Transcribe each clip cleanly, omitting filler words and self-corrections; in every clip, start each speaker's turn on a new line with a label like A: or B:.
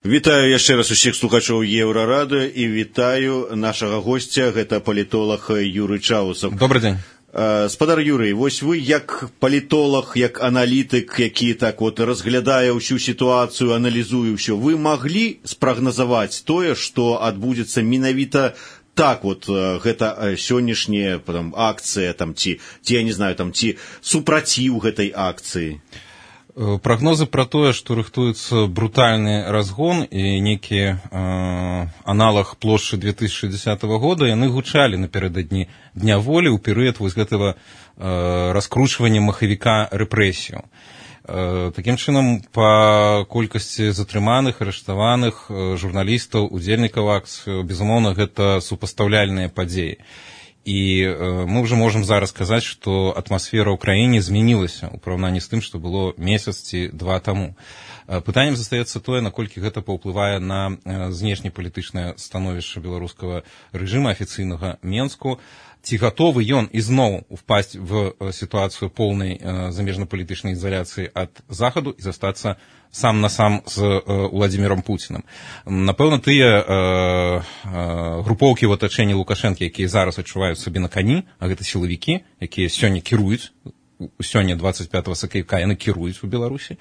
A: Вітаю яшчэ раз усіх слухачоў Еўрарадыё і вітаю нашага госця, гэта палітолог Юрый Чаусаў.
B: Добрый дзень.
A: Спадар Юрый, вось вы як палітолог, як аналітык, які так вот разглядае ўсю сітуацыю, аналізуе ўсё, вы маглі спрагназаваць тое, што адбудзецца менавіта так вот гэта сённяшняя акцыя там ці я не знаю там ці супраціў гэтай акцыі?
B: Прагнозы пра тое, што рыхтуецца брутальны разгон і нейкі аналаг плошчы 2010 года, яны гучалі напярэдадні Дня волі ў перыяд вось гэтага раскручвання махавіка рэпрэсію. Такім чынам, па колькасці затрыманых, арыштаваных, журналістаў, удзельнікаў акцыі, безумоўна, гэта супастаўляльныя падзеі. І мы ўжо можам зараз сказаць, што атмасфера ў краіне змянілася ў параўнанні з тым, што было месяц ці два таму. Пытаннем застаецца тое, наколькі гэта паўплывае на знешнепалітычнае становішча беларускага рэжыма афіцыйнага Менску, ці гатовы ён ізноў упасць в сітуацыю поўнай замежнапалітычнай ізаляцыі ад захаду і застацца сам на сам з Владзімірам Пуцінам. Напэўна, тыя групоўкі ў атачэнні Лукашэнкі, якія зараз адчуваюць сабе на кані, а гэта сілавікі, якія сёння кіруюць, сёння 25 сакавіка яны кіруюць у Беларусі,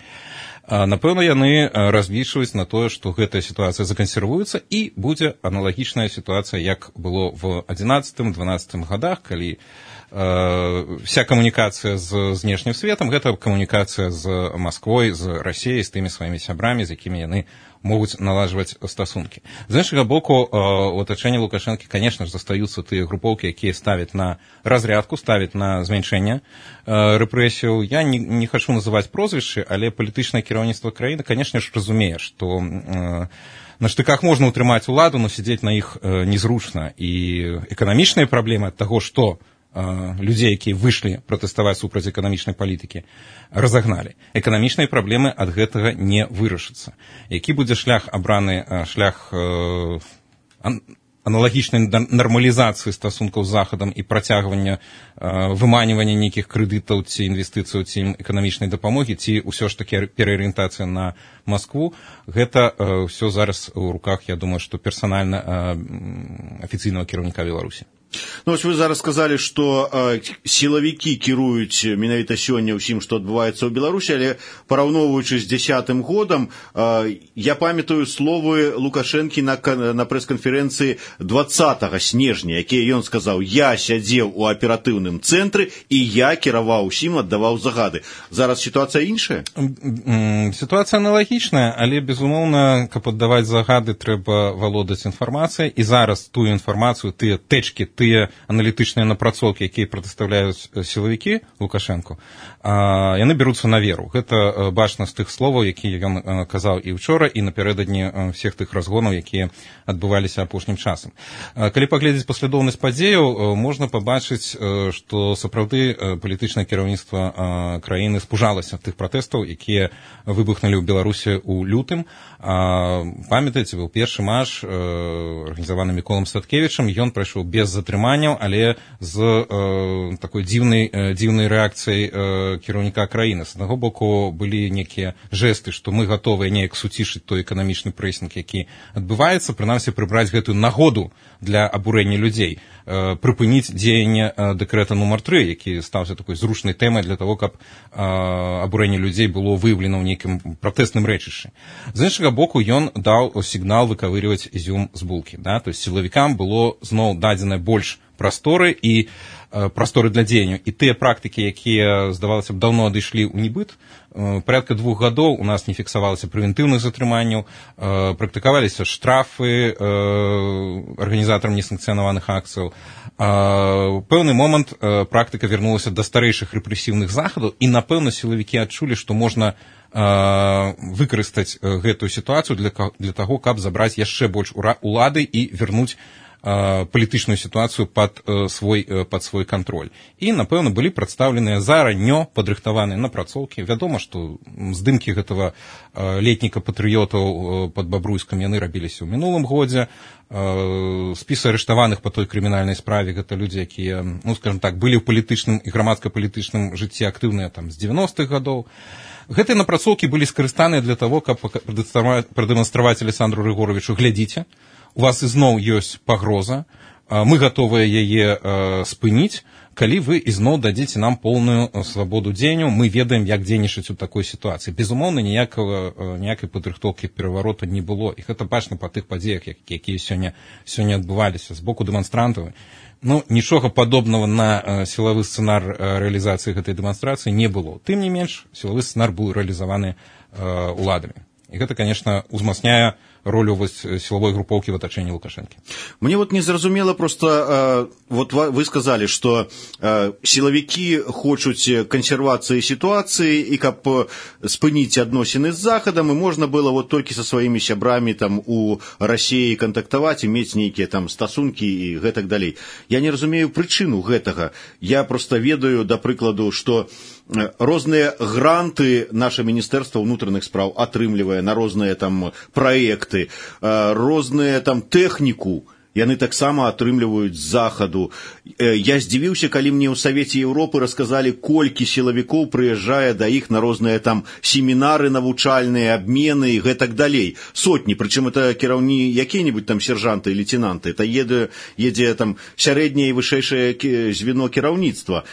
B: напэўна, яны разлічваюць на тое, што гэтая сітуацыя закансервуецца і будзе аналагічная сітуацыя, як было в 11-12 годах, калі вся камунікацыя з знешнім светам, гэта камунікацыя з Масквой, з Расіяй, з тымі сваімі сябрамі, з якімі яны могуць наладжваць стасункі. З іншага боку, у атачэнні Лукашэнкі, конечно ж, застаюцца тыя групоўкі, якія ставяць на разрядку, ставяць на зменшэнне рэпрэсіяў. Я не хачу называць прозвішчы, але палітычнае кіраўніцтва краіны, конечно ж, разумее, што на штыках можна ўтрымаць уладу, но сядзець на іх незручна. І эканамічныя праблемы ад таго, што людзей, якія выйшлі пратэставаць супраць эканамічнай палітыкі, разагналі. Эканамічныя праблемы ад гэтага не вырашацца. Які будзе шлях абраны, шлях аналагічнай нармалізацыі стасункаў з Захадам і працягвання выманівання нейкіх крэдытаў ці інвестыцыяў ці эканамічнай дапамогі, ці ўсё ж такі пераарыентацыя на Маскву, гэта ўсё зараз у руках, я думаю, што персанальна афіцыйнага кіраўніка Беларусі.
A: Ну, вось вы зараз сказалі, што сілавікі кіруюць менавіта сёння ўсім, што адбываецца ў Беларусі, але параўноўваючы з 10-м годам, я памятаю словы Лукашэнкі на прэс-канферэнцыі 20 снежня, якія ён сказаў: я сядзеў у аператыўным цэнтры і я кіраваў усім, аддаваў загады. Зараз сітуацыя іншая?
B: Сітуацыя аналагічная, але, безумоўна, каб аддаваць загады, трэба валодаць інфармацыяй, і зараз тую інфармацыю, тыя тэчкі, тыя аналітычныя напрацоўкі, якія прадастаўляюць сілавікі Лукашэнку, яны бяруцца на веру. Гэта бачна з тых словаў, якія ён казаў і ўчора, і напярэдадні всех тых разгонаў, якія адбываліся апошнім часам. Калі паглядзець паслядоўнасць падзеяў, можна пабачыць, што сапраўды палітычнае кіраўніцтва краіны спужалася тых пратэстаў, якія выбухнулі ў Беларусі ў лютым. Памятаеце, быў першы марш, арганізаваны Міколам Статкевічам, ён прайшоў без затрыманняў, але з такой дзіўнай рэакцыяй кіраўніка краіны. З аднаго боку, былі нейкія жэсты, што мы гатовыя неяк суцішыць той эканамічны прэсінг, які адбываецца, прынамсі прыбраць гэтую нагоду для абурэння людзей, прыпыніць дзеянне дэкрэта нумар 3, які стаўся такой зручнай тэмай для того, каб абурэнне людзей было выяўлена ў нейкім пратэсным рэчышчы. З іншага боку, ён даў сігнал выкавыріваць ізюм з булкі. Да? То есть сілавікам было зноў дадзена больш прасторы і прасторы для дзеянняў. І тыя практыкі, якія, здавалася б, даўно адышлі ў небыт, порядка 2 гадоў у нас не фіксавалася прэвентыўных затрыманняў, практыкаваліся штрафы арганізатарам несанкцыянаваных акцыяў. Пэўны момант практыка вярнулася да старэйшых рэпрэсіўных захадаў, і, напэўна, сілавікі адчулі, што можна выкарыстаць гэтую сітуацыю для таго, каб забраць яшчэ больш улады і вярнуць палітычную сітуацыю пад свой кантроль. І, напэўна, былі прадстаўленыя зараннё падрыхтаваныя напрацоўкі. Вядома, што здымкі гэтага летніка патрыётаў пад Бабруйскам яны рабіліся ў мінулым годзе. Спісы арыштаваных па той крымінальнай справе гэта людзі, якія, ну, скажем так, былі ў палітычным і грамадска-палітычным жыцці актыўныя там з 90-х гадоў. Гэтыя напрацоўкі былі скарыстаныя для того, каб прадэманстраваць Александру Рыгоровичу: глядзіце, у вас ізноў ёсць пагроза, мы гатовыя яе спыніць, калі вы ізноў дадзіце нам поўную свабоду дзеянняў, мы ведаем, як дзейнічаць у такой сітуацыі. Безумоўна, ніякай падрыхтоўкі пераварота не было, і гэта бачна па тых падзеях, якія сёння адбываліся з боку дэманстрантаў. Нічога падобнага на сілавы сцэнар рэалізацыі гэтай дэманстрацыі не было. Тым не менш, сілавы сцэнар быў рэалізаваны уладамі. І гэта, конечно, узмацняе ролю силовой групповки в атачэнні Лукашэнкі.
A: Мне незразумела просто, вы сказали, что силовики хочуць консервации ситуации, и каб спыніць адносіны з Захадам, и можно было толькі со своими сябрамі там у России контактаваць, иметь нейкія там стасунки и гэтак далей. Я не разумею прычыну гэтага. Я просто ведаю, да прыкладу, что розныя гранты наше Міністэрства ўнутраных спраў атрымлівае на розныя там праекты, розныя там тэхніку яны таксама атрымліваюць з захаду. Я здзівіўся, калі мне ў Савеце Еўропы расказалі, колькі сілавікоў прыязджае да іх на розныя там семінары навучальныя, абмены і гэтак далей. Сотні, прычым это кіраўні якія-небудзь там сержанты і лейтенанты, это едзе там сярэдняе і вышэйшае звено кіраўніцтва.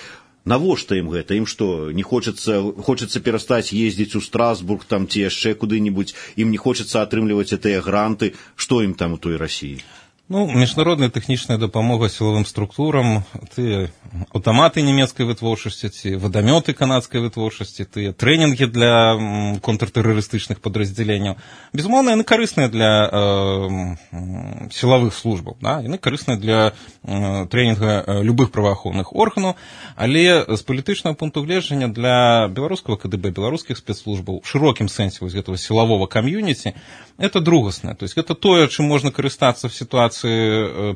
A: Навошта ім гэта? Ім што, не хочацца перастаць ездзіць у Страсбург там ці яшчэ куды-нибудь, ім не хочацца атрымліваць гэтыя гранты, што ім там у той Расіі?
B: Міжнародная тэхнічная дапамога сілавым структурам, тыя аўтаматы нямецкай вытворчасці, ці вадамёты канадскай вытворчасці, тыя трэнінгі для контртэрарыстычных падраздзяленняў, безумоўна, яны карысныя для сілавых службаў, яны карысныя для трэнінга любых праваахоўных органаў, але з палітычнага пункту гледжання для беларускага КДБ, беларускіх спецслужбаў, в шырокім сэнсе гэтага сілавога камьюніці, это другасна. То есть это тое, чым можна карыстацца в сітуацыі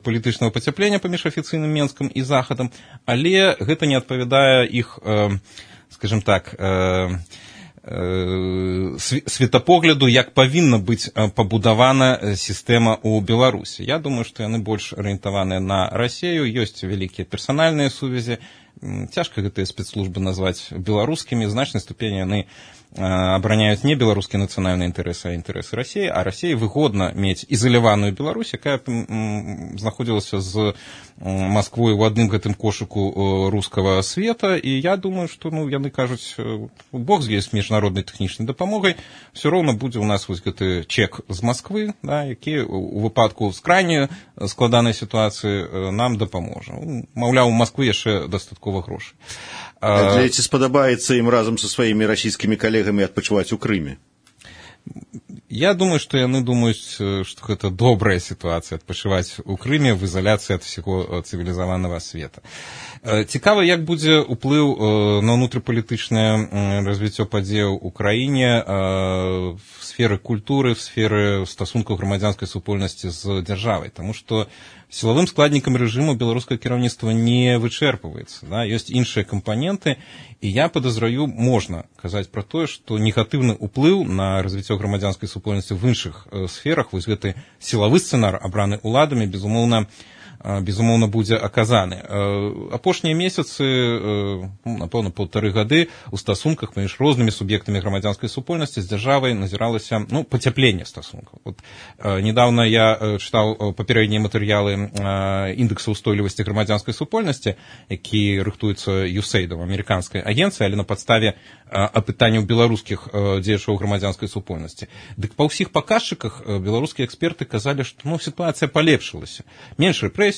B: палітычнага пацяплення паміж афіцыйным Менскам і Захадам, але гэта не адпавядае іх, скажем так, светапогляду, як павінна быць пабудавана сістэма ў Беларусі. Я думаю, што яны больш арыентаваныя на Расію, ёсць вялікія персанальныя сувязі, цяжка гэтыя спецслужбы назваць беларускімі, значнай ступені яны абараняюць не беларускія нацыянальныя інтарэсы, а інтарэсы Расіі, а Расіі выгодна мець ізаляваную Беларусь, якая знаходзілася з Масквой у адным гэтым кошыку рускага света, і я думаю, што яны кажуць, Бог з ёй з міжнароднай тэхнічнай дапамогай, все роўна будзе у нас гэты чек з Масквы, які у выпадку крайне складанай сітуацыі нам дапаможа. Маўляў, у Масквы яшчэ дастаткова грошай.
A: Ці спадабаецца ім разам са сваімі расійскімі калегамі адпачываць у Крыме?
B: Я думаю, што яны думаюць, што гэта добрая сітуацыя адпачываць у Крыме в ізаляцыі ад усяго цывілізаванага света. Цікава, як будзе ўплыў на ўнутрыпалітычнае развіццё падзеяў у краіне в сферы культуры, в сферы стасункаў грамадзянскай супольнасці з дзяржавай, таму што сілавым складнікам рэжыму беларускае кіраўніцтва не вычэрпваецца. Ёсць іншыя кампаненты, і я падазраю, можна казаць пра тое, што негатыўны ўплыў на развіццё грамадзянскай супольнасці в іншых сферах, вось гэты сілавы сцэнар, абраны ўладамі, безумоўна, будзе аказаны. Апошнія месяцы, напэўна, 1,5 гады у стасунках паміж рознымі суб'ектамі грамадзянскай супольнасці з дзяржавай назіралася пацяпленне стасункаў. Недавно я чытаў папярэднія матэрыялы індекса ўстойлівасці грамадзянскай супольнасці, які рыхтуецца USAID, амерыканскай агенцыі, але на падставе апытанняў беларускіх дзеячоў грамадзянскай супольнасці. Дык па ўсіх паказчыках беларускія эксперты казалі, што сітуацыя палепшылася. Менш рэпрэсіяў,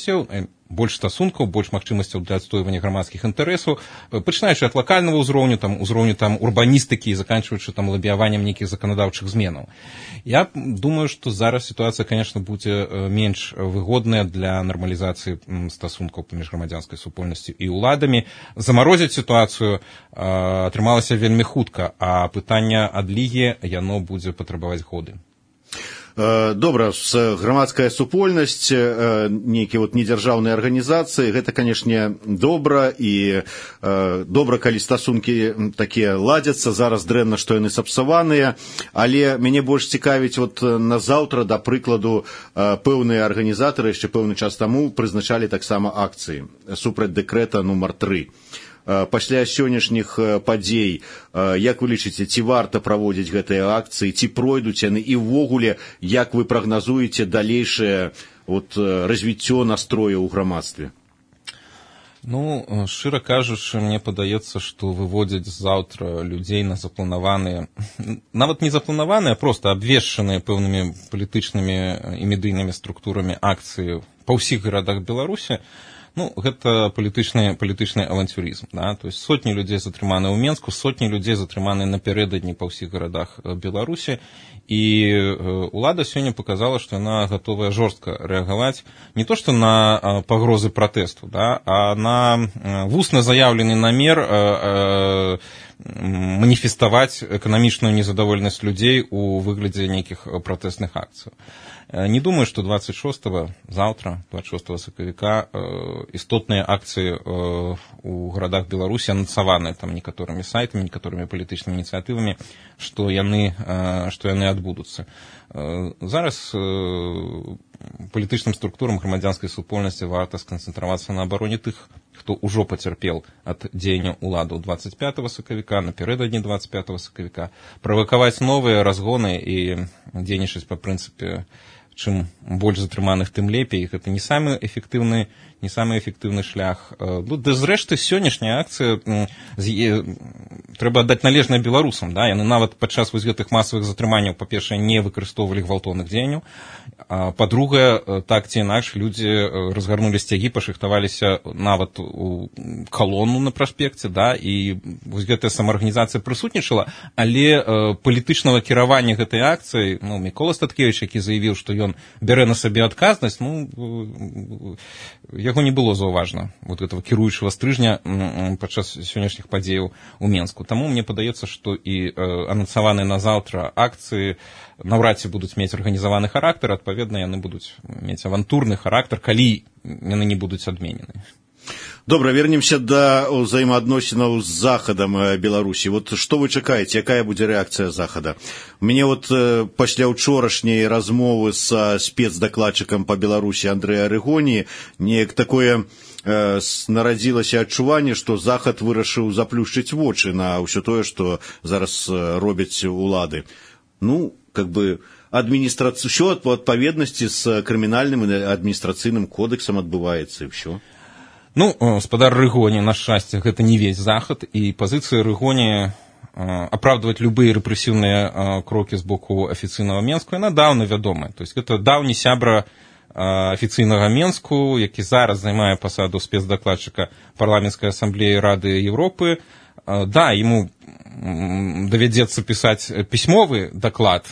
B: больш стасункаў, больш магчымасцяў для адстойвання грамадскіх інтарэсаў, пачынаючы ад лакальнага ўзроўню, узроўню урбаністыкі і заканчваючы лабіяваннем нейкіх заканадаўчых зменаў. Я думаю, што зараз сітуацыя, конечно, будзе менш выгодная для нармалізацыі стасункаў паміж грамадзянскай супольнасцю і ўладамі. Замарозіць сітуацыю атрымалася вельмі хутка, а пытанне адлігі яно будзе патрабаваць годы.
A: Добра, грамадская супольнасць, нейкія недзяржаўныя арганізацыі, гэта, канешне, добра, і добра, калі стасункі такія ладзяцца, зараз дрэнна, што яны сапсаваныя, але мяне больш цікавіць, назаўтра, да прыкладу, пэўныя арганізатары яшчэ пэўны час таму прызначалі таксама акцыі супраць дэкрэта нумар 3. пасля сённяшніх падзей, як вы лічыце, ці варта праводзіць гэтыя акцыі, ці пройдуць яны, і ўвогуле, як вы прагназуеце далейшае развіццё настрояў у грамадстве?
B: Ну, шчыра кажучы, мне падаецца, што выводзяць заўтра людзей на запланаваныя, нават не запланаваныя, а проста абвешчаныя пэўнымі палітычнымі і медыйнымі структурамі акцыі па ўсіх гарадах Беларусі. Ну, гэта палітычны авантюрызм. Да? То есть сотні людзей затрыманы ў Менску, сотні людзей затрыманы напярэдадні па ўсіх гарадах Беларусі. І ўлада сёння показала, што яна гатовая жорстка рэагаваць не то што на пагрозы пратэсту, да, а на вусна заяўлены намер маніфеставаць эканамічную незадаволенасць людзей у выглядзе нейкіх пратэстных акцый. Не думаю, што 26-го, заўтра, 26 сакавіка, істотныя акцыі у гарадах Беларусі анансаваныя там некаторымі сайтамі, некаторымі палітычнымі ініцыятывамі, што яны адбудуцца. Зараз палітычным структурам грамадзянскай супольнасці варта сканцэнтравацца на абароне тых, хто ўжо пацярпеў ад дзеяння ўладаў 25 сакавіка, напярэдадні 25 сакавіка, правакаваць новыя разгоны і дзейнічаць па прынцыпе чым больш затрыманых, тым лепей. Гэта не самы эфектыўны шлях. Ну, да зрэшты, сённяшняя акцыя трэба аддаць належнае беларусам. Да? Яны нават падчас вось гэтых масавых затрыманняў, па-першае, не выкарыстоўвалі гвалтоўных дзеянняў. Па-другае, так ці інакш, людзі разгарнулі сцягі, пашыхтаваліся нават у калону на праспекце, да? І вось гэтая самаарганізацыя прысутнічала, але палітычнага кіравання гэтай акцыі, ну, Мікола Статкевіч, які заявіў, што ён бярэ на сабе адказнасць, ну, яго не было заўважна, вот этого кіруючага стрыжня падчас сённяшніх падзеяў у Менску. Таму мне падаецца, што і анансаваныя на заўтра акцыі наўрад ці будуць мець арганізаваны характар, адпаведна, яны будуць мець авантурны характар, калі яны не будуць адменены.
A: Добра, вернемся да ўзаемаадносінаў з захадам Беларусі. Вот што вы чакаеце, якая будзе рэакцыя захада? Мне пасля ўчорашняй размовы са спецдакладчыкам па Беларусі Андрэя Арыгоніі неяк такое нарадзілася адчуванне, што захад вырашыў заплюшчыць вочы на ўсё тое, што зараз робяць улады. Ну, ўсё па адпаведнасці з крымінальным і адміністрацыйным кодексам адбываецца, і ўсё.
B: Ну, спадар Рыгоні, на шчасце, гэта не весь захад, і пазіцыя Рыгоні апраўдваць любыя рэпрэсіўныя крокі з боку афіцыйнага Менску, яна даўна вядомая. То есть гэта даўні сябра афіцыйнага Менску, які зараз займае пасаду спецдакладчыка парламенцкай асамблеі Рады Еўропы. Да, яму давядзецца пісаць пісьмовы даклад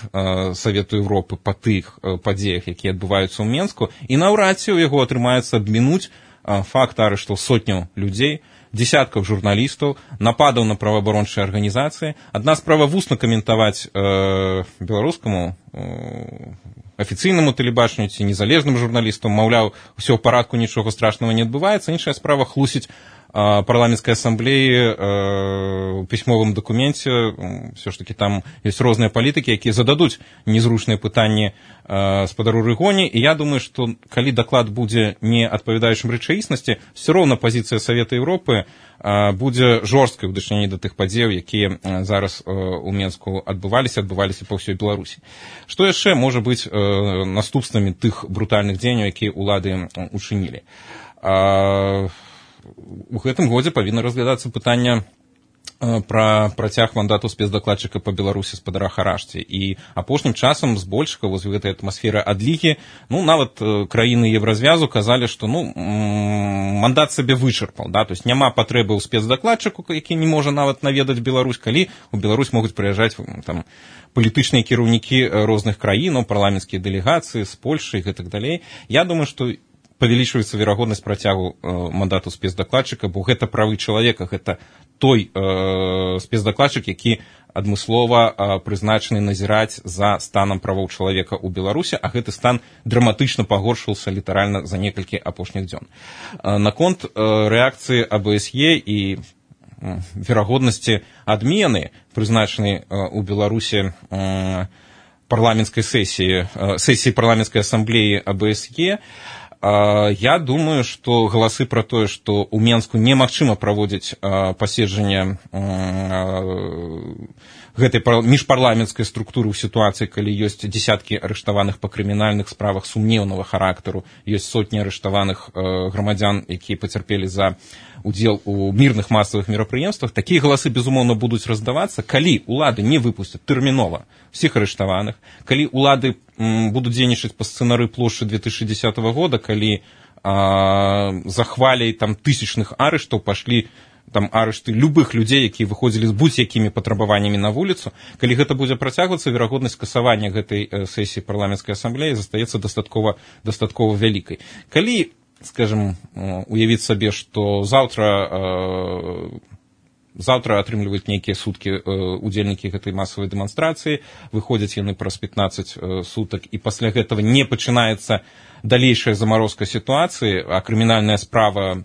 B: Савету Еўропы па тых падзеях, якія адбываюцца ў Менску, і наўрад ці ў яго атрымаецца абмінуць факт арыштаў сотняў людзей, дзесяткаў журналістаў, нападаў на праваабарончыя арганізацыі. Адна справа вусна каментаваць беларускаму афіцыйнаму тэлебачанню ці незалежным журналістам, маўляў, усё ў парадку, нічога страшнага не адбываецца. Іншая справа хлусіць парламенцкай асамблеі у пісьмовым дакуменце. Все ж таки там ёсць розныя палітыкі, якія зададуць незручныя пытанні спадару Рыгоні, і я думаю, што калі даклад будзе не адпавядаючым рэчаіснасці, все роўна пазіцыя Савета Еўропы будзе жорсткай у дачыненні да тых падзеяў, якія зараз у Менску адбываліся па ўсёй Беларусі. Што яшчэ можа быць наступствамі тых брутальных дзеянняў, якія ўлады учынілі? У гэтым годзе павінна разглядацца пытанне пра працяг мандату спецдакладчыка па Беларусі спадара Харашці. І апошнім часам збольшага вось гэтай атмасферы адлігі, ну, нават краіны Еўразвязу казалі, што мандат сабе вычарпаў, да? То есть няма патрэбы ў спецдакладчыку, які не можа нават наведаць Беларусь, калі ў Беларусь могуць прыязджаць там палітычныя кіраўнікі розных краін, парламенцкія дэлегацыі з Польшы і гэтак далей. Я думаю, што павялічваецца верагоднасць працягу мандату спецдакладчыка, бо гэта правы чалавека, гэта той спецдакладчык, які адмыслова прызначаны назіраць за станам правоў чалавека ў Беларусі, а гэты стан драматычна пагоршыўся літаральна за некалькі апошніх дзён. Наконт рэакцыі АБСЕ і верагоднасці адмены прызначанай у Беларусі парламенцкай сесіі парламенцкай асамблеі АБСЕ, Я думаю, што галасы пра тое, што ў Менску немагчыма праводзіць паседжанне гэтай міжпарламенцкай структуры ў сітуацыі, калі ёсць дзесяткі арыштаваных па крымінальных справах сумнеўнага характару, ёсць сотні арыштаваных грамадзян, якія пацярпелі за удзел у мірных масавых мерапрыемствах. Такія галасы, безумоўна, будуць раздавацца, калі ўлады не выпусцяць тэрмінова всіх арыштаваных, калі ўлады будуць дзейнічаць па сцэнары плошчы 2010 года, калі за хваляй там тысячных арыштаў пашлі там арышты любых людзей, якія выходзілі з будь-якімі патрабаваннямі на вуліцу. Калі гэта будзе працягвацца, верагоднасць касавання гэтай сесіі парламенцкай асамблеі застаецца дастаткова вялікай. Калі, скажем, уявіць сабе, што заўтра атрымліваюць нейкія суткі удзельнікі гэтай масавай дэманстрацыі, выходзяць яны праз 15 сутак, і пасля гэтага не пачынаецца далейшая замарозка сітуацыі, а крымінальная справа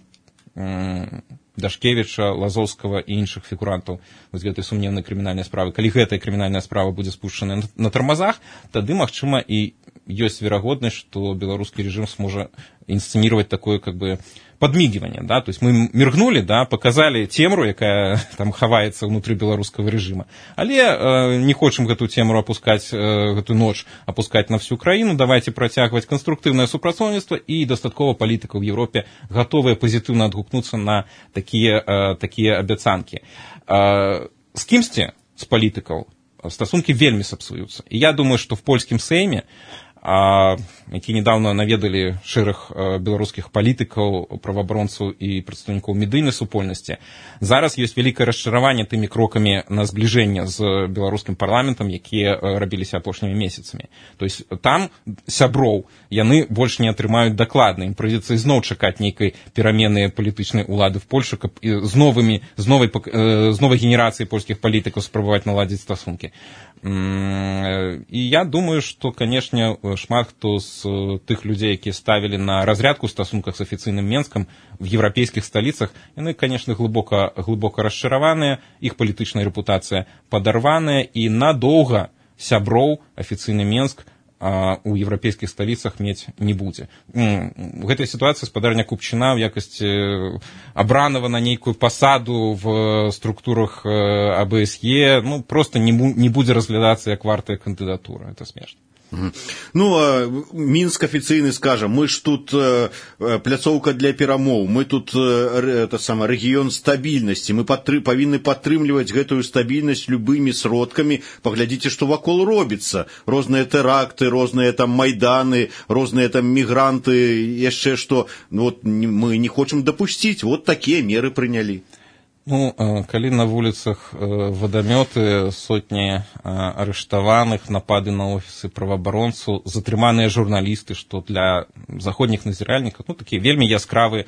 B: Дашкевіча, Лазоўскага і іншых фігурантаў з гэтай сумнеўнай крымінальнай справы. Калі гэтая крымінальная справа будзе спушчана на тармазах, тады, магчыма, і ёсць верагоднасць, што беларускі рэжым сможа інсцэніваць такое, как бы, подмигивание, да, то есть мы міргнули, да, показали цемру, якая там хаваецца ўнутры беларускага рэжыма, але не хочам гэту цемру апускаць, гэту ноч апускаць на всю краіну, давайте працягваць канструктыўнае супрацоўніцтва, і дастаткова палітыкаў в Европе гатовыя пазітыўна адгукнуцца на такія абяцанкі. З кімсьці з палітыкаў стасункі вельмі сапсуюцца. І я думаю, што в польскім сейме, які недавно наведалі шэраг беларускіх палітыкаў, праваабаронцаў і прадстаўнікоў медыйнай супольнасці, зараз ёсць вялікае расчараванне тымі крокамі на збліжэнне з беларускім парламентам, якія рабіліся апошнімі месяцамі. То есть там сяброў яны больш не атрымаюць дакладна, ім прыйдзецца ізноў чакаць нейкай перамены палітычнай улады в Польшы, каб з новай генерацыяй польскіх палітыкаў спрабаваць наладзіць стасункі. І я думаю, што, канешне, шмат хто з тых людзей, якія ставілі на разрядку ў стасунках з афіцыйным Менскам в еўрапейскіх сталіцах, яны, канешне, глыбока расчараваныя, іх палітычная рэпутацыя падарваная, і надоўга сяброў афіцыйны Менск у еўрапейскіх сталіцах мець не будзе. У гэтай сітуацыі спадарня Купчына ў якасці абранага на нейкую пасаду в структурах АБСЕ просто не будзе разглядацца як вартая кандыдатура. Это смешна.
A: Мінск афіцыйны скажа, мы ж тут пляцоўка для перамоў, мы тут рэгіён стабільнасці, мы павінны падтрымліваць гэтую стабільнасць любымі сродкамі. Паглядзіце, што вакол робіцца. Розныя тэракты, розныя там майданы, розныя там мігранты, яшчэ што мы не хочам дапусціць. Вот такія меры прынялі.
B: Калі на вуліцах вадамёты, сотні арыштаваных, напады на офісы праваабаронцаў, затрыманыя журналісты, што для заходніх назіральнікаў, такі вельмі яскравы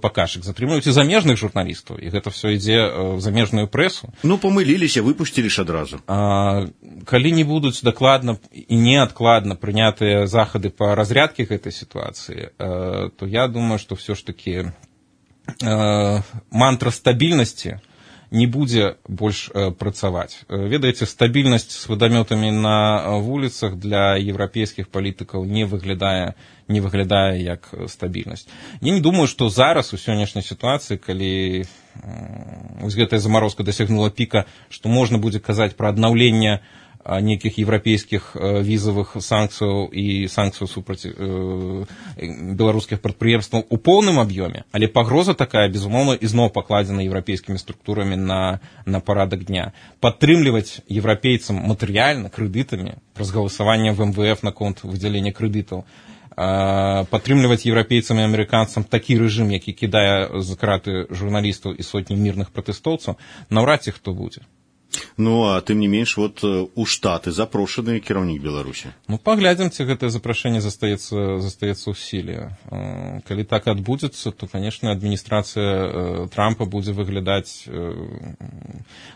B: паказчык. Затрымаюць і замежных журналістаў, і гэта все ідзе в замежную прэсу.
A: Памыліліся, выпусцілі ж адразу.
B: Калі не будуць дакладна і неадкладна прынятыя захады па разрядкі гэтай сітуацыі, то я думаю, што все ж такі мантра стабільнасці не будзе больш працаваць. Ведаеце, стабільнасць з вадамётамі на вуліцах для еўрапейскіх палітыкаў не выглядае як стабільнасць. Я не думаю, што зараз у сённяшняй сітуацыі, калі гэтая замарозка дасягнула піка, што можна будзе казаць пра аднаўленне нейкіх еўрапейскіх візавых санкцыяў і санкцыяў супраць беларускіх прадпрыемстваў у поўным аб'ёме, але пагроза такая, безумоўна, ізноў пакладзена еўрапейскімі структурамі на парадак дня. Падтрымліваць еўрапейцам матэрыяльна, крэдытамі, праз галасаванне в МВФ наконт выдзялення крэдытаў, падтрымліваць еўрапейцам і амерыканцам такі рэжым, які кідае за краты журналістаў і сотні мірных пратэстоўцаў, наўрад ці хто будзе.
A: А тым не менш, у Штаты запрошаны кіраўнік Беларусі.
B: Паглядзім, ці гэтае запрашэнне застаецца ў сіле. Калі так адбудзецца, то, канешне, адміністрацыя Трампа будзе выглядаць...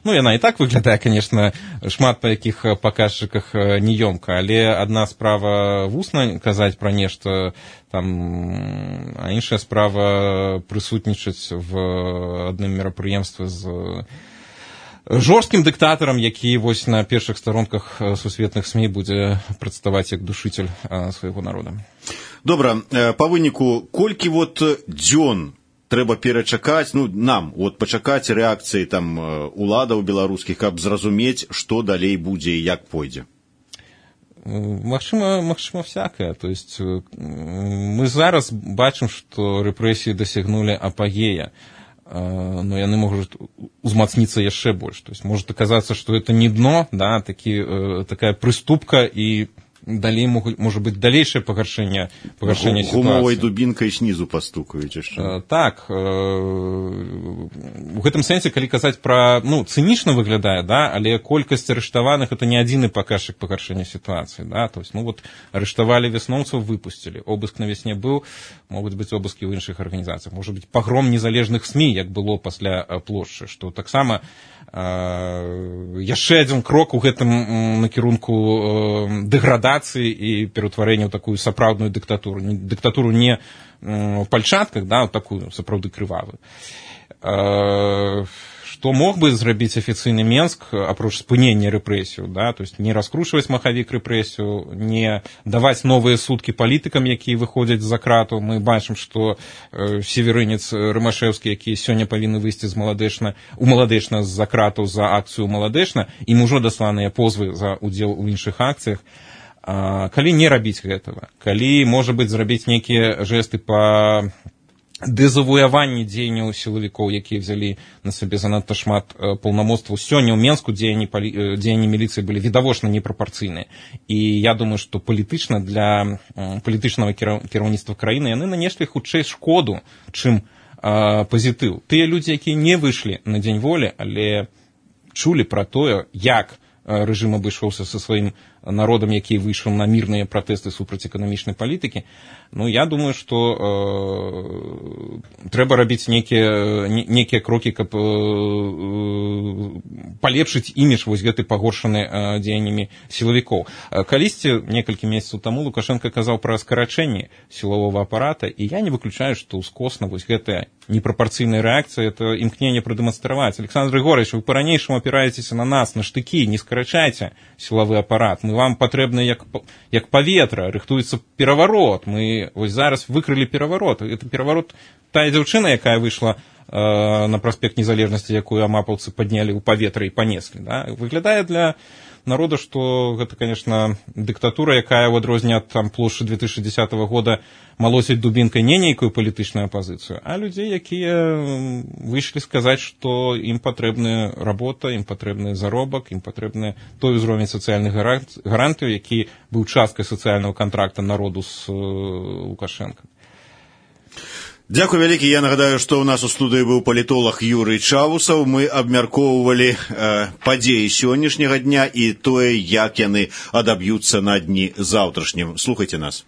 B: яна і так выглядае, канешне, шмат па якіх паказчыках неёмка, але адна справа вусна казаць пра нешта, а іншая справа прысутнічаць в адным мерапрыемстве з жорсткім дыктатарам, які на першых старонках сусветных СМІ будзе прадставаць як душитель свайго народа.
A: Добра, па выніку, колькі вот дзён трэба перачакаць, ну, нам, вот пачакаць рэакцыі там уладаў беларускіх, каб зразумець, што далей будзе і як пойдзе?
B: Магчыма, всякае. То есть мы зараз бачым, што рэпрэсіі дасягнулі апагея, но яны могуць узмацніцца яшчэ больш. То есть может аказацца, што это не дно, да, такая прыступка, і далей можа быць далейшае пагаршэнне сітуацыі.
A: Гумовай дубінкай снізу пастукаюць яшчэ.
B: Так, у гэтым сэнсе, калі казаць пра, ну, цынічна выглядае, да, але колькасць арыштаваных это не адзіны паказчык пагаршэння сітуацыі, да, то есть, ну, вот арыштавалі вясноўцаў, выпусцілі, обыск на вясне быў, могуць быць обыскі ў іншых арганізацыях, можа быць пагром незалежных СМІ, як было пасля плошчы, што таксама яшчэ адзін крок у гэтым накірунку дэградацыі і пераўтварэння ў такую сапраўдную дыктатуру не в пальчатках, да, такую сапраўды крывавую. Што мог бы зрабіць афіцыйны Менск, апроч спынення рэпрэсію, да, то есть не раскручваць махавік рэпрэсію, не даваць новыя суткі палітыкам, якія выходзяць з-за крату. Мы бачым, што северынец Рымашэўскі, які сёння павінны выйсці у Маладэчна з-за кратаў за акцыю Маладэчна, ім ужо дасланыя позвы за удзел у іншых акцыях. Калі не рабіць гэтага, калі, можа быць, зрабіць нейкія жэсты па дэзавуяванні дзеянняў сілавікоў, якія взялі на сабе занадта шмат паўнамоцтваў. Сёння ў Менску дзеянні міліцыі былі відавочна непрапарцыйныя. І я думаю, што палітычна для палітычнага кіраўніцтва краіны яны нанеслі хутчэй шкоду, чым пазітыў. Тыя людзі, якія не выйшлі на дзень волі, але чулі пра тое, як рэжым абышоўся са сваім народам, які выйшаў на мірныя пратэсты супраць эканамічнай палітыкі. Ну, я думаю, што трэба рабіць нейкія крокі, каб палепшыць імідж вось гэты пагоршаны дзеяннямі сілавікоў. Калісьці, некалькі месяцаў таму, Лукашенко казаў пра скарачэнне сілавога апарата, і я не выключаю, што ўскосна вось гэтая непрапорцыйная рэакцыя, это імкненне прадэманстраваць. Александр Григорьевич, вы па-ранейшаму апіраецеся на нас, на штыкі, не скарачайце сілавы апарат. Мы вам патрэбны як паветра, рыхтуецца пераварот. Мы вось зараз выкрылі пераварот. Это пераварот, тая дзяўчына, якая выйшла на праспект Незалежнасці, якую амапаўцы паднялі ў паветра і панеслі. Да? Выглядае для народа, што гэта, конечно, дыктатура, якая ў адрозненне ад плошчы 2010 года малосіць дубінкай не нейкую палітычную апазіцыю, а людзей, якія выйшлі сказаць, што ім патрэбная работа, ім патрэбны заробак, ім патрэбны той узровень сацыяльных гарантыяў, які быў часткай сацыяльнага кантракта народу з Лукашенко.
A: Дзякуй вялікі. Я нагадаю, што ў нас у студыі быў палітолог Юрый Чавусаў. Мы абмяркоўвалі падзеі сённяшняга дня і тое, як яны адаб'юцца на дні заўтрашнім. Слухайце нас.